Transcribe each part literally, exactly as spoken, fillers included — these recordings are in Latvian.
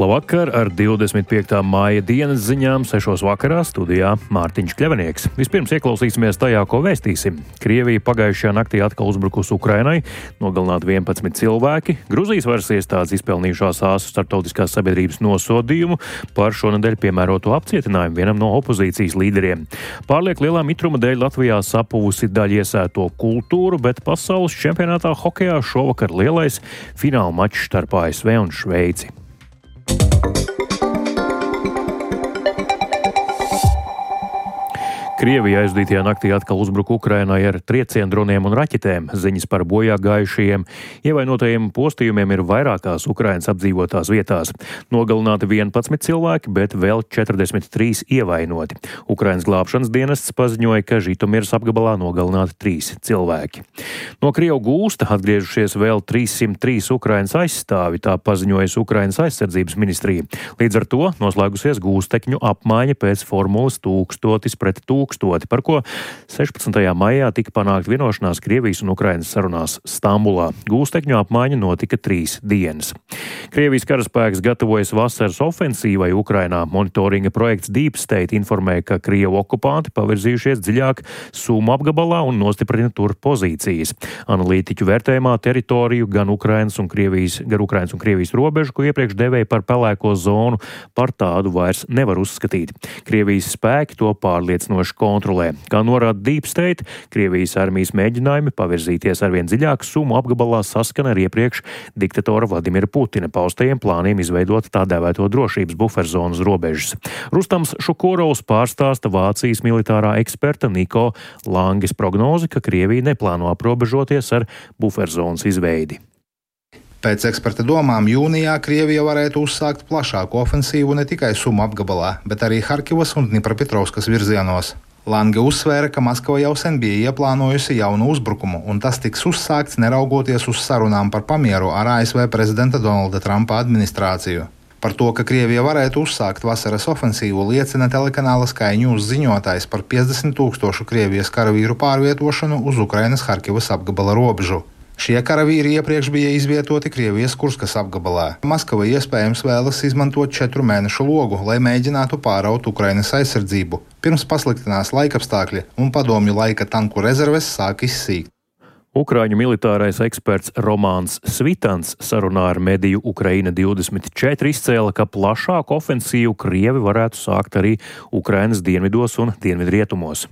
Labvakar, ar divdesmit piektā māja dienas ziņām sešos vakarā studijā Mārtiņš Kļavinieks. Vispirms ieklausīsimies tajā, ko vēstīsim. Krievija pagājušajā naktī atkal uzbrukusi Ukrainai, nogalināti vienpadsmit cilvēki. Gruzijas varas iestādes izpelnījušās āsu starptautiskās sabiedrības nosodījumu par šonedēļ piemēroto apcietinājumu vienam no opozīcijas līderiem. Pārlieku lielā mitruma dēļ Latvijā sapuvusi daļa iesēto kultūru, bet pasaules čempionātā hokejā šovakar lielais fināla mačs starp A S V un Šveici. Krievija aizdītajā naktī atkal uzbruka Ukrainai ar trieciendroniem un raķetēm. Ziņas par bojā gājušajiem ievainotajiem postījumiem ir vairākās Ukrainas apdzīvotās vietās. Nogalināti vienpadsmit cilvēki, bet vēl četrdesmit trīs ievainoti. Ukrainas glābšanas dienests paziņoja, ka Žitomiras apgabalā nogalināti trīs cilvēki. No Krievu gūsta atgriežušies vēl trīssimt trīs Ukrainas aizstāvi, tā paziņojas Ukrainas aizsardzības ministrija. Līdz ar to noslēgusies gūstekņu apmaiņa pēc formulas tūkstotis pret tūkstotis. Par ko sešpadsmitajā maijā tika panākt vienošanās Krievijas un Ukrainas sarunās Stambulā. Gūstekņu apmaiņa notika trīs dienas. Krievijas karaspēks gatavojas vasaras ofensīvai Ukrainā. Monitoringa projekts Deep State informēja, ka Krievu okupanti pavirzījušies dziļāk Sumu apgabalā un nostiprina tur pozīcijas. Analītiķu vērtējumā teritoriju gan Ukrainas un Krievijas, gan Ukrainas un Krievijas robežu, ko iepriekš devēja par pelēko zonu, par tādu vairs nevar uzskatīt. Krievijas spēki to pārliecinoši kontrolē. Kā norāda Deep State, Krievijas armijas mēģinājumi pavirzīties arvien dziļāk Sumu apgabalā saskana ar iepriekš diktatora Vladimira Putina paustajiem plāniem izveidot tā dēvēto drošības buferzonas robežas. Rustams Šukurovs pārstāsta Vācijas militārā eksperta Niko Langes prognozi, ka Krievija neplāno aprobežoties ar buferzonas izveidi. Pēc eksperta domām jūnijā Krievija varētu uzsākt plašāku ofensīvu ne tikai Sumu apgabalā, bet arī Harkivas un Dņipropetrovskas virzienos. Lange uzsvēra, ka Maskava jau sen bija ieplānojusi jaunu uzbrukumu, un tas tiks uzsākts neraugoties uz sarunām par pamieru ar A S V prezidenta Donalda Trumpa administrāciju. Par to, ka Krievija varētu uzsākt vasaras ofensīvu, liecina telekanāla Sky News ziņotājs par piecdesmit tūkstošu Krievijas karavīru pārvietošanu uz Ukrainas Harkivas apgabala robežu. Šie karavīri iepriekš bija izvietoti Krievijas Kurskas apgabalā. Maskava iespējams vēlas izmantot četru mēnešu logu, lai mēģinātu pāraut Ukrainas aizsardzību, pirms pasliktinās laikapstākļi un padomju laika tanku rezerves sāk izsīkt. Ukraiņu militārais eksperts Romāns Svitans sarunā ar mediju Ukraina divdesmit četri izcēla, ka plašāku ofensīvu Krievi varētu sākt arī Ukrainas dienvidos un dienvidrietumos.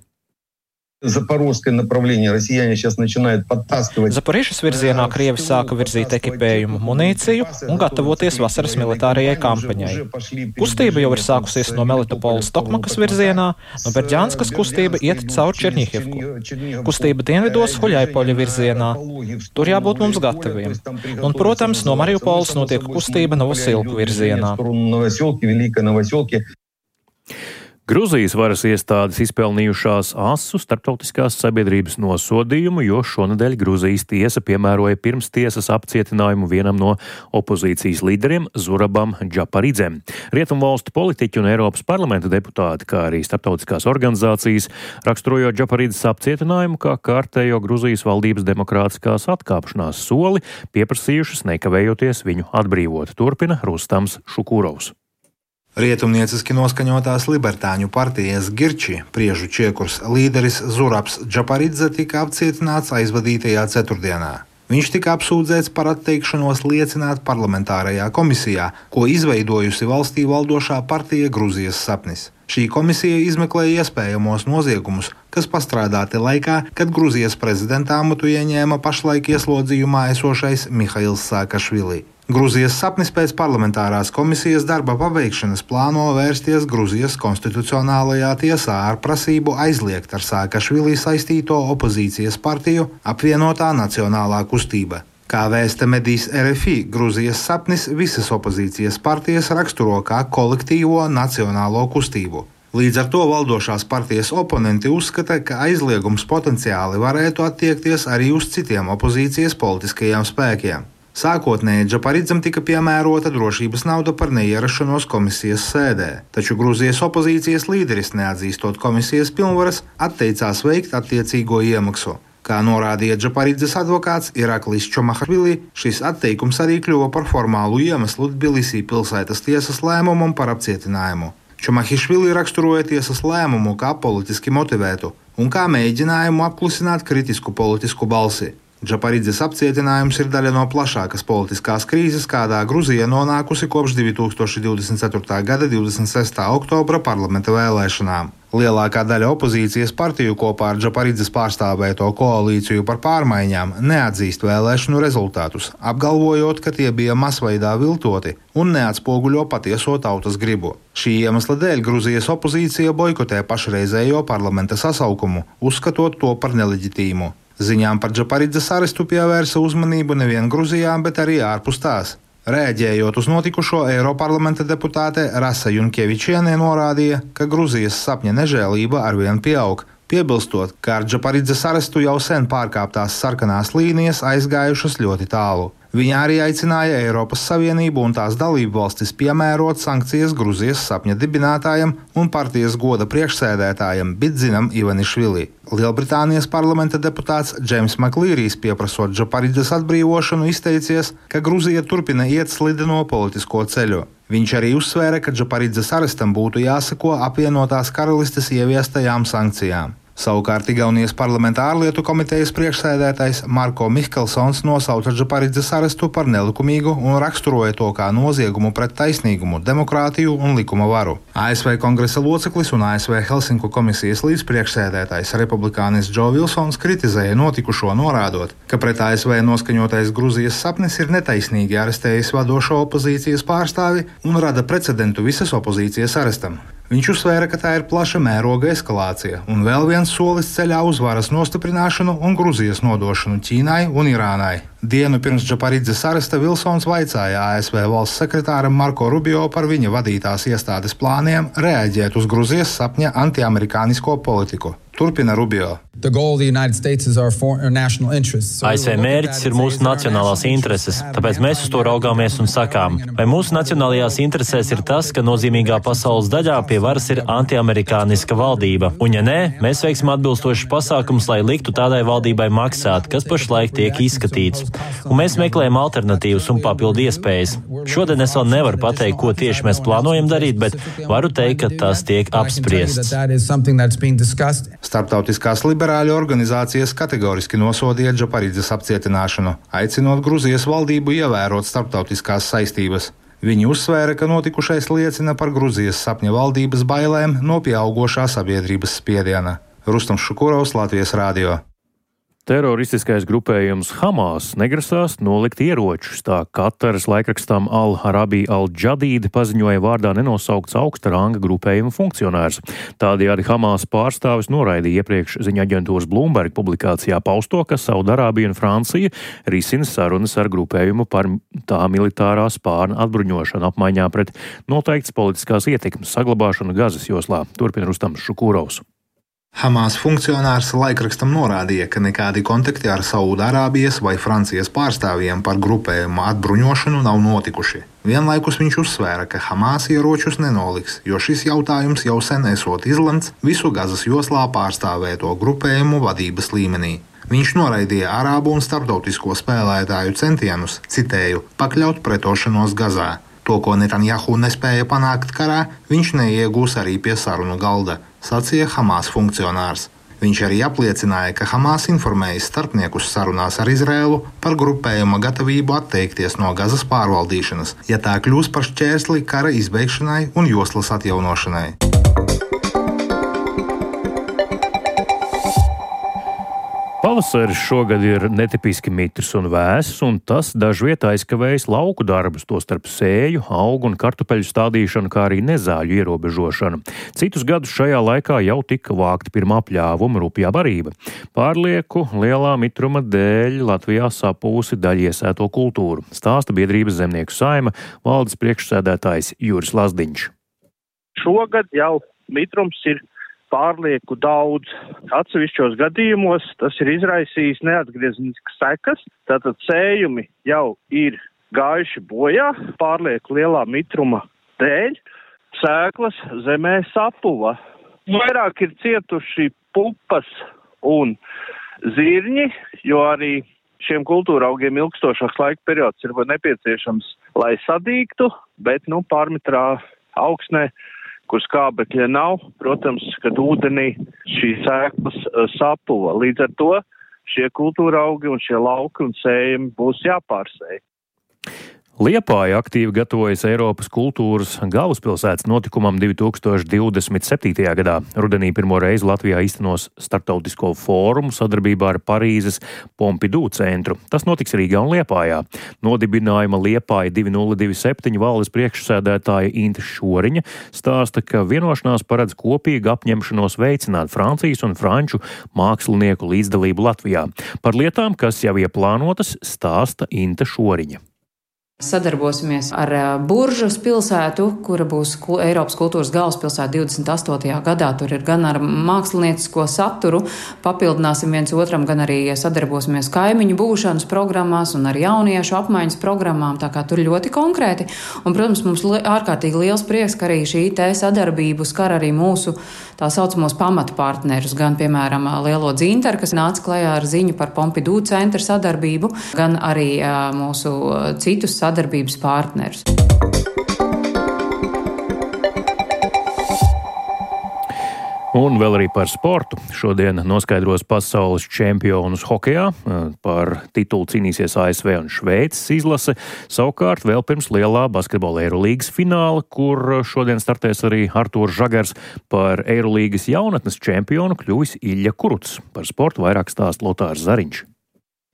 Запорожское направление россияне сейчас начинают подтаскивать. Запoriešas virzienā Krievi sāka virzīt ekipējumu, munīciju un gatavoties vasaras militārajai kampaņai. Kustība jau ir sākusies no Melitopoles Tokmakas virzienā, no Berģānskas kustība iet caur Čerņihivku. Kustība dienvidos Huļaipoļa virzienā. Tur jābūt mums gataviem. Un, protams, no Mariupoles notiek kustība Novosilku virzienā. Gruzijas varas iestādes izpelnījušās asu starptautiskās sabiedrības nosodījumu, jo šonedēļ Gruzijas tiesa piemēroja pirmstiesas apcietinājumu vienam no opozīcijas līderiem Zurabam Džaparidzem. Rietumvalstu politiķi un Eiropas parlamenta deputāti, kā arī starptautiskās organizācijas, raksturojot Džaparidzes apcietinājumu kā kārtējo Gruzijas valdības demokrātiskās atkāpšanās soli, pieprasījušas nekavējoties viņu atbrīvot. Turpina Rustams Šukurovs. Rietumnieciski noskaņotās libertāņu partijas Girči priežu čiekurs līderis Zurabs Džaparidze tika apcietināts aizvadītajā ceturtdienā. Viņš tika apsūdzēts par atteikšanos liecināt parlamentārajā komisijā, ko izveidojusi valstī valdošā partija Gruzijas sapnis. Šī komisija izmeklēja iespējamos noziegumus, kas pastrādāti laikā, kad Gruzijas prezidenta amatu ieņēma pašlaik ieslodzījumā esošais Mihails Saakašvili. Gruzijas sapnis pēc parlamentārās komisijas darba pabeigšanas plāno vērsties Gruzijas konstitucionālajā tiesā ar prasību aizliegt ar Saakašvili saistīto opozīcijas partiju Apvienotā nacionālā kustība. Kā vēsta medijs R F I, Gruzijas sapnis visas opozīcijas partijas raksturo kā kolektīvo nacionālo kustību. Līdz ar to valdošās partijas oponenti uzskata, ka aizliegums potenciāli varētu attiekties arī uz citiem opozīcijas politiskajiem spēkiem. Sākotnēji Džaparidzam tika piemērota drošības nauda par neierašanos komisijas sēdē, taču Gruzijas opozīcijas līderis, neatzīstot komisijas pilnvaras, atteicās veikt attiecīgo iemaksu. Kā norādīja Džaparidzes advokāts Iraklis Čomahvili, šis atteikums arī kļuva par formālu iemeslu Tbilisī pilsētas tiesas lēmumam par apcietinājumu. Čomahišvili raksturoja tiesas lēmumu kā politiski motivētu un kā mēģinājumu apklusināt kritisku politisku balsi. Džaparidzes apcietinājums ir daļa no plašākas politiskās krīzes, kādā Gruzija nonākusi kopš divi tūkstoši divdesmit ceturtā gada divdesmit sestā oktobra parlamenta vēlēšanām. Lielākā daļa opozīcijas partiju kopā ar Džaparidzes pārstāvēto koalīciju par pārmaiņām neatzīst vēlēšanu rezultātus, apgalvojot, ka tie bija masveidā viltoti un neatspoguļo patieso tautas gribu. Šī iemesla dēļ Gruzijas opozīcija boikotē pašreizējo parlamenta sasaukumu, uzskatot to par neleģitīmu. Ziņām par Džaparidzes arestu pievērsa uzmanību nevien Gruzijā, bet arī ārpus tās. Rēģējot uz notikušo, Eiroparlamenta deputāte Rasa Junkevičiene norādīja, ka Gruzijas sapņa nežēlība arvien pieaug, piebilstot, ka ar Džaparidzes arestu jau sen pārkāptās sarkanās līnijas aizgājušas ļoti tālu. Viņa arī aicināja Eiropas Savienību un tās dalību valstis piemērot sankcijas Gruzijas sapņa dibinātājam un partijas goda priekšsēdētājam Bidzinam Ivanišvili. Lielbritānijas parlamenta deputāts Džeims Maklīrijs, pieprasot Džaparidzes atbrīvošanu, izteicies, ka Gruzija turpina iet slideno politisko ceļu. Viņš arī uzsvēra, ka Džaparidzes arestam būtu jāseko apvienotās karalistes ieviestajām sankcijām. Savukārt Igaunijas parlamenta ārlietu komitejas priekšsēdētājs Marko Mihkelsons nosauca Džaparidzes arestu par nelikumīgu un raksturoja to kā noziegumu pret taisnīgumu, demokrātiju un likuma varu. A S V kongresa loceklis un A S V Helsinku komisijas līdzpriekšsēdētājs republikānis Džo Vilsons kritizēja notikušo, norādot, ka pret A S V noskaņotais Gruzijas sapnis ir netaisnīgi arestējis vadošo opozīcijas pārstāvi un rada precedentu visas opozīcijas arestam. Viņš uzsvēra, ka tā ir plaša mēroga eskalācija un vēl viens solis ceļā uz varas nostiprināšanu un Gruzijas nodošanu Ķīnai un Irānai. Dienu pirms Džaparidzes aresta Vilsons vaicāja A S V valsts sekretāram Marko Rubio par viņa vadītās iestādes plāniem reaģēt uz Gruzijas sapņa antiamerikānisko politiku. Turpina Rubio. A S V mērķis ir mūsu nacionālās intereses, tāpēc mēs uz to raugāmies un sakām, vai mūsu nacionālajās interesēs ir tas, ka nozīmīgā pasaules daļā pie varas ir antiamerikāniska valdība, un ja nē, mēs veiksim atbilstošus pasākumus, lai liktu tādai valdībai maksāt, kas pašlaik tiek izskatīts, un mēs meklējam alternatīvas un papildu iespējas. Šodien es vēl nevaru pateikt, ko tieši mēs plānojam darīt, bet varu teikt, ka tas tiek apspriests. Starptautiskās liberāļu organizācijas kategoriski nosodīja Džaparidzes apcietināšanu, aicinot Gruzijas valdību ievērot starptautiskās saistības. Viņi uzsvēra, ka notikušais liecina par Gruzijas sapņa valdības bailēm no pieaugošā sabiedrības spiediena. Rustams Šukurovs, Latvijas radio. Teroristiskais grupējums Hamas negrasās nolikt ieročus, tā Kataras laikrakstam Al-Arabi Al-Jadīd paziņoja vārdā nenosaukts augsta ranga grupējuma funkcionārs. Tādējādi Hamas pārstāvis noraidīja iepriekš ziņa aģentūras Bloomberg publikācijā pausto, ka Saudarābija un Francija risina sarunas ar grupējumu par tā militārā spārna atbruņošanu apmaiņā pret noteikts politiskās ietekmes saglabāšanu Gazas joslā. Turpina Rustams Šukurovs. Hamas funkcionārs laikrakstam norādīja, ka nekādi kontakti ar Saudārābijas vai Francijas pārstāvjiem par grupējuma atbruņošanu nav notikuši. Vienlaikus viņš uzsvēra, ka Hamas ieročus nenoliks, jo šis jautājums jau sen esot izlemts visu Gazas joslā pārstāvēto grupējumu vadības līmenī. Viņš noraidīja arābu un starptautisko spēlētāju centienus, citēju, pakļaut pretošanos Gazā. To, ko Netanjahu nespēja panākt karā, viņš neiegūs arī pie sarunu galda, sacīja Hamas funkcionārs. Viņš arī apliecināja, ka Hamas informējis starpniekus sarunās ar Izrēlu par grupējuma gatavību atteikties no Gazas pārvaldīšanas, ja tā kļūs par šķērsli kara izbeigšanai un joslas atjaunošanai. Pavasaris šogad ir netipiski mitrs un vēss, un tas dažviet aizkavējis lauku darbus, tostarp sēju, augu un kartupeļu stādīšanu, kā arī nezāļu ierobežošanu. Citus gadus šajā laikā jau tika vākta pirmā pļāvuma rupjā barība. Pārlieku lielā mitruma dēļ Latvijā sapūsi daļiesēto kultūru, stāsta biedrības Zemnieku saima valdes priekšsēdētājs Juris Lazdiņš. Šogad jau mitrums ir pārlieku daudz. Atsevišķos gadījumos tas ir izraisījis neatgriezniskas sekas, tātad sējumi jau ir gājuši bojā pārlieku lielā mitruma dēļ, sēklas zemē sapuva. Vairāk ir cietuši pupas un zirņi, jo arī šiem kultūra augiem ilgstošāks laika periods ir nepieciešams, lai sadīgtu, bet, nu, pārmetrā augsnē, kur skābekļa nav, protams, kad ūdenī šīs sēklas sapuva. Līdz ar to šie kultūra augi un šie lauki un sējumi būs jāpārsēj. Liepāja aktīvi gatavojas Eiropas kultūras galvaspilsētas notikumam divi tūkstoši divdesmit septītajā gadā. Rudenī pirmo reizi Latvijā īstenos starptautisko fórumu sadarbībā ar Parīzes Pompidou centru. Tas notiks Rīgā un Liepājā. Nodibinājuma Liepāja divi nulle divi septiņi valdes priekšsēdētāja Inte Šoriņa stāsta, ka vienošanās paredz kopīgu apņemšanos veicināt Francijas un franču mākslinieku līdzdalību Latvijā. Par lietām, kas jau ieplānotas, stāsta Inte Šoriņa. Sadarbosimies ar Buržas pilsētu, kura būs Eiropas kultūras galvaspilsēta divdesmit astotajā gadā. Tur ir gan ar māksliniecisko saturu, papildināsim viens otram, gan arī sadarbosimies kaimiņu būšanas programmās un ar jauniešu apmaiņas programmām, tā kā tur ļoti konkrēti. Un, protams, mums ārkārtīgi liels prieks, ka arī šī te sadarbība skar arī mūsu tā saucamos pamatpartnerus, gan, piemēram, Lielo Dzintaru, kas nāca klajā ar ziņu par Pompidou centra sadarbību, gan arī mūsu citus sadarbības sadarbības partnerus. Un vēl arī par sportu. Šodien noskaidros pasaules čempionus hokejā. Par titulu cīnīsies A S V un Šveices izlase. Savukārt vēl pirms lielā basketbola Eirolīgas fināla, kur šodien startēs arī Artūrs Žagars, par Eirolīgas jaunatnes čempionu kļuvis Ilja Kurucs. Par sportu vairāk stāsta Lotārs Zariņš.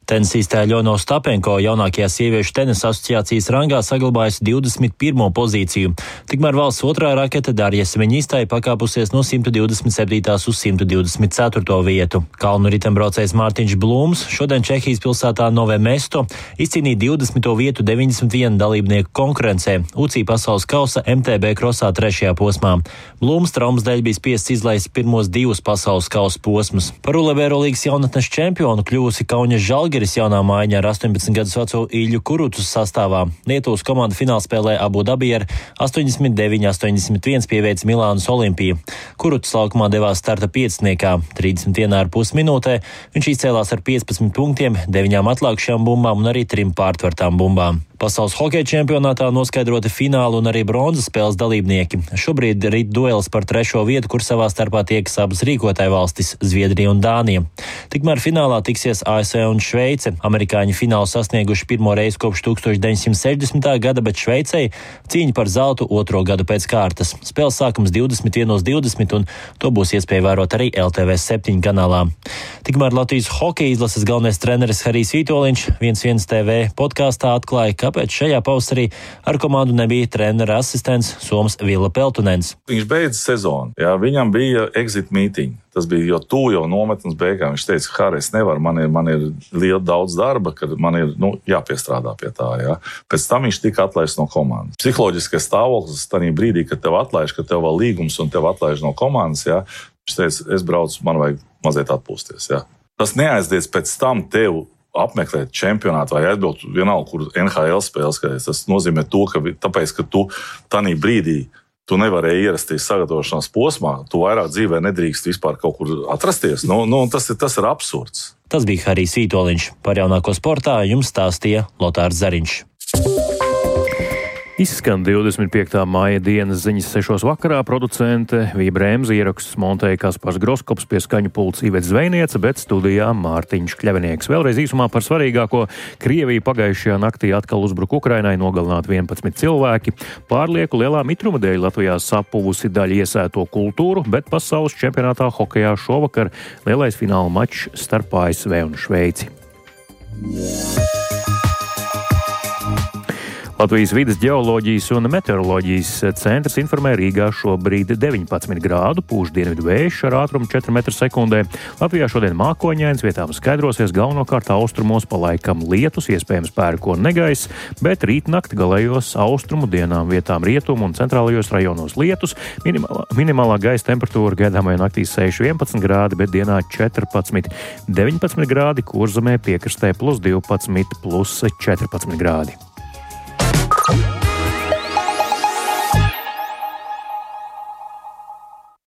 Tenisistē Ļona Ostapenko jaunākajā sieviešu tenisa asociācijas rangā saglabājusi divdesmit pirmo pozīciju. Tikmēr valsts otrā rakete Darja Semeņistai pakāpusies no simt divdesmit septītās uz simt divdesmit ceturto vietu. Kalnu ritembraucējs Mārtiņš Blūms šodien Čehijas pilsētā Nové Mesto izcīnīja divdesmito vietu deviņdesmit viena dalībnieku konkurencē U C I pasaules kausa M T B krosā trešajā posmā. Blūms traumas dēļ bija spiests izlaist pirmos divus pasaules kausa posmus. Par U L B Eirolīgas jaunatnes čempionu kļuvusi Kauņas Žalgiris jaunā mājiņā ar astoņpadsmit gadus veco Ilju Kurucu sastāvā. Lietuvas komanda finālspēlē Abu Dabī ar astoņdesmit deviņi astoņdesmit viens pieveica Milānas Olimpiju. Kurucs laukumā devās starta pieciniekā. trīsdesmit viena ar pus minūtē viņš izcēlās ar piecpadsmit punktiem, deviņām atlākšajām bumbām un arī trim pārtvertām bumbām. Pasaules hokeja čempionātā noskaidroti fināla un arī bronzas spēles dalībnieki. Šobrīd rit duelis par trešo vietu, kur savā starpā tiekas abas rīkotāju valstis - Zviedrija un Dānija. Tikmēr finālā tiksies A S V un Šveice. Amerikāņi finālu sasnieguši pirmo reizi kopš deviņdesmit sešdesmitā gada, bet Šveicei cīņa par zeltu otro gadu pēc kārtas. Spēles sākums divdesmit viens divdesmit un to būs iespēja vērot arī L T V septiņi kanālā. Tikmēr Latvijas hokeja izlases galvenais treneris Harijs Vitoļņš viens viens T V podkāstā atklāja, kāpēc šajā pavasarī ar komandu nebija trenera asistents Soms Vila Peltunens. Viņš beidza sezonu, jā, viņam bija exit meeting. Tas bija jau tuvu jau nometnes beigām. Viņš teica, ka Harijs nevar, man ir, man ir liela daudz darba, kad man ir nu, jāpiestrādā pie tā. Jā. Pēc tam viņš tika atlaists no komandas. Psiholoģiskais stāvoklis tajā brīdī, kad tev atlaiž, kad tev vēl līgums un tev atlaiž no komandas, jā, viņš teica, es braucu, man vajag mazliet atpūsties. Jā. Tas neaizdiec pēc tam tev apmeklēt čempionātu vai aizbraukt vienalga, kur N H L spēles. Tas nozīmē to, ka tāpēc, ka tu tanī brīdī tu nevarēji ierasties sagatavošanās posmā, tu vairāk dzīvē nedrīkst vispār kaut kur atrasties. Nu, nu, tas, ir, tas ir absurds. Tas bija Harijs Vitoļņš. Par jaunāko sportā jums stāstīja Lotārs Zariņš. Izskan divdesmit piektā māja dienas ziņas sešos vakarā. Producente Vija Brēmze, ieraksts montēja Kaspars Groskops, pie skaņu pults Ivets Zvejniece, bet studijā Mārtiņš Kļavinieks. Vēlreiz īsumā par svarīgāko. Krievija pagājušajā naktī atkal uzbruka Ukrainai, nogalināti vienpadsmit cilvēki. Pārlieku lielā mitruma dēļ Latvijā sapuvusi daļa iesēto kultūru, bet pasaules čempionātā hokejā šovakar lielais fināla mačs starp A S V un Šveici. Latvijas vides ģeoloģijas un meteoroloģijas centrs informē Rīgā šobrīd deviņpadsmit grādu, pūš dienvidu vējš ar ātrumu četri metri sekundē. Latvijā šodien mākoņains, vietām skaidrosies, galvenokārt austrumos pa laikam lietus, iespējams pērkona negaiss, bet rīt nakti galējos austrumu dienām vietām rietumu un centrālajos rajonos lietus. Minimālā, minimālā gaisa temperatūra gaidāmajā naktī seši vienpadsmit grādi, bet dienā četrpadsmit deviņpadsmit grādi, Kurzemē piekrastē plus divpadsmit plus četrpadsmit grādi.